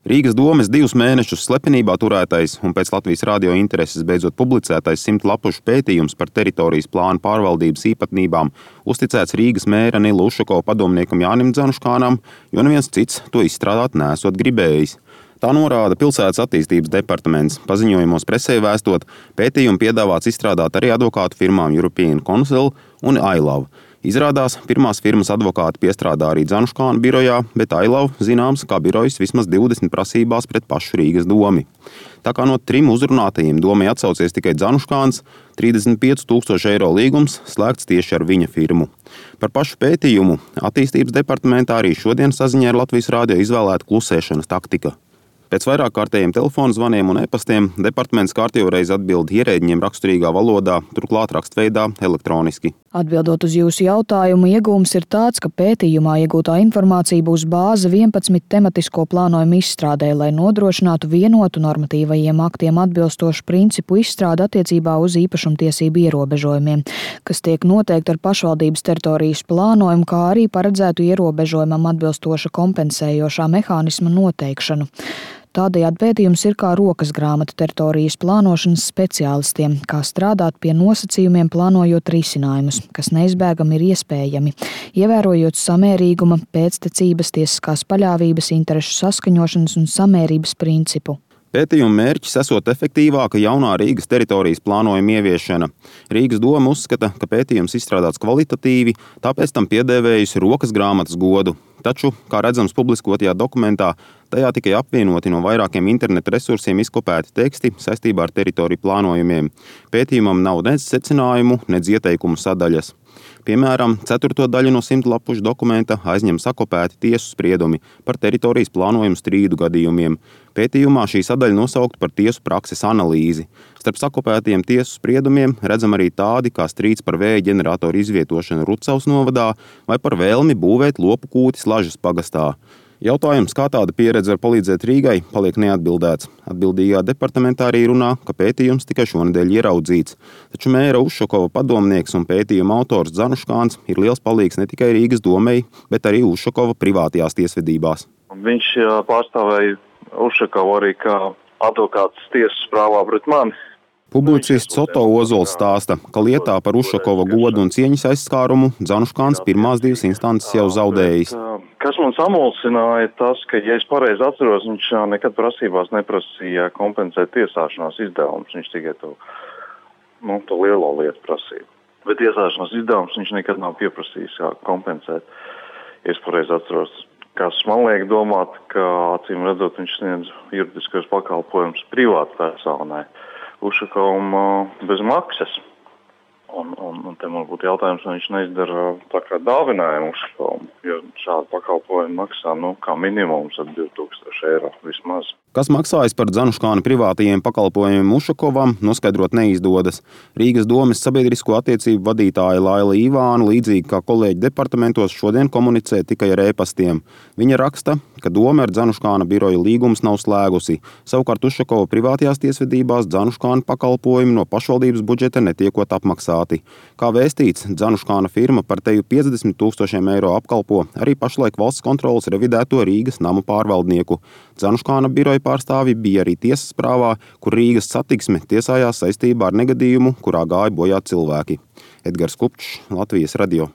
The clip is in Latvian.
Rīgas domes 2 mēnešus slepenībā turētais un pēc Latvijas radio intereses beidzot publicētais 100 lapušu pētījums par teritorijas plānu pārvaldības īpatnībām uzticēts Rīgas mēra Nila Ušakova padomniekam Jānim Dzanuškānam, jo neviens cits to izstrādāt nesot gribējis. Tā norāda Pilsētas attīstības departaments. Paziņojumos presē vēstot, pētījumu piedāvāts izstrādāt arī advokātu firmām European Council un iLove. Izrādās, pirmās firmas advokāti piestrādā arī Dzanuškāna birojā, bet iLove zināms kā birojas vismaz 20 prasībās pret pašu Rīgas domi. Tā kā no 3 uzrunātajiem domai atsaucies tikai Dzanuškāns, 35,000 eiro līgums slēgts tieši ar viņa firmu. Par pašu pētījumu attīstības departamentā arī šodien saziņā ar Latvijas radio izvēlēta klusēšanas taktika. Pēc vairāk kārtējiem telefonu zvaniem un e-pastiem departaments kārtējo reizi atbild ierēģiņiem raksturīgā valodā, turklāt rakstveidā elektroniski. Atbildot uz jūsu jautājumu, iegūms ir tāds, ka pētījumā iegūtā informācija būs bāze 11 tematisko plānojumu izstrādē, lai nodrošinātu vienotu normatīvajiem aktiem atbilstošu principu izstrādi attiecībā uz īpašumtiesību ierobežojumiem, kas tiek noteikti ar pašvaldības teritorijas plānojumu, kā arī paredzētu ierobežojumam atbilstoša kompensējošā mehānisma noteikšanu. Tādējādi pētījums ir kā rokas grāmata teritorijas plānošanas speciālistiem, kā strādāt pie nosacījumiem plānojot risinājumus, kas neizbēgami ir iespējami, ievērojot samērīguma, pēctecības, tiesiskās paļāvības, interešu saskaņošanas un samērības principu. Pētījuma mērķis esot efektīvāka jaunā Rīgas teritorijas plānojuma ieviešana. Rīgas doma uzskata, ka pētījums izstrādāts kvalitatīvi, tāpēc tam piedēvējusi rokas grāmatas godu. Taču, kā redzams publiskotajā dokumentā, tajā tikai apvienoti no vairākiem interneta resursiem izkopēti teksti saistībā ar teritoriju plānojumiem. Pētījumam nav nec secinājumu, nec ieteikumu sadaļas. Piemēram, 4. daļu no 100 lapušu dokumenta aizņem sakopēti tiesu spriedumi par teritorijas plānojumu strīdu gadījumiem. Pētījumā šī sadaļa nosaukt par tiesu prakses analīzi. Starp sakopētiem tiesu spriedumiem redzam arī tādi, kā strīds par vēja ģeneratoru izvietošanu Rucavas novadā vai par vēlmi būvēt lopu kūti Slažas pagastā. Jautājums, kā tāda pieredze var palīdzēt Rīgai, paliek neatbildēts. Atbildīgā departamentā arī runā, ka pētījums tikai šonedēļ ieraudzīts. Taču mēra Ušakova padomnieks un pētījuma autors Dzanuškāns ir liels palīgs ne tikai Rīgas domei, bet arī Ušakova privātajās tiesvedībās. Viņš pārstāvēja Ušakovu arī kā advokāts tiesas prāvā pret mani. Publicists Otto Ozols stāsta, ka lietā par Ušakova godu un cieņas aizskārumu Dzanuškāns pirmās 2 instances jau zaudējis. Kas man samulsināja tas, ka, ja es pareizi atceros, viņš nekad prasībās neprasīja kompensēt tiesāšanās izdevumus. Viņš tikai to lielo lietu prasīja. Bet tiesāšanās izdevumus viņš nekad nav pieprasījis kompensēt. Ja es pareizi atceros, kas man liek domāt, ka acīm redzot viņš sniedz juridiskos pakalpojumus privātpersonai. Ušakovam bez maksas. Un te man būtu jautājums, vai viņš neizdara tā kā dāvinājumu Ušakovam, jo šādu pakalpojumu maksā kā minimums ap 2000 eiro vismaz. Kas maksājas par Dzanuškāna privātajiem pakalpojumiem Ušakovam, noskaidrot neizdodas. Rīgas domes sabiedrisko attiecību vadītāja Laila Ivāna, līdzīgi kā kolēģi departamentos, šodien komunicē tikai ar e-pastiem. Viņa raksta, ka doma ar Dzanuškāna biroja līgums nav slēgusi. Savukārt Ušakova privātajās tiesvedībās Dzanuškāna pakalpojumi no pašvaldības budžeta netiekot apmaksāti. Kā vēstīts, Dzanuškāna firma par teju 50,000 eiro apkalpo arī pašlaik valsts kontroles revidēto Rīgas namu pārvaldnieku. Dzanuškāna biroja pārstāvji bija arī tiesas prāvā, kur Rīgas Satiksme tiesājās saistībā ar negadījumu, kurā gāja bojā cilvēki. Edgars Kupčs, Latvijas radio.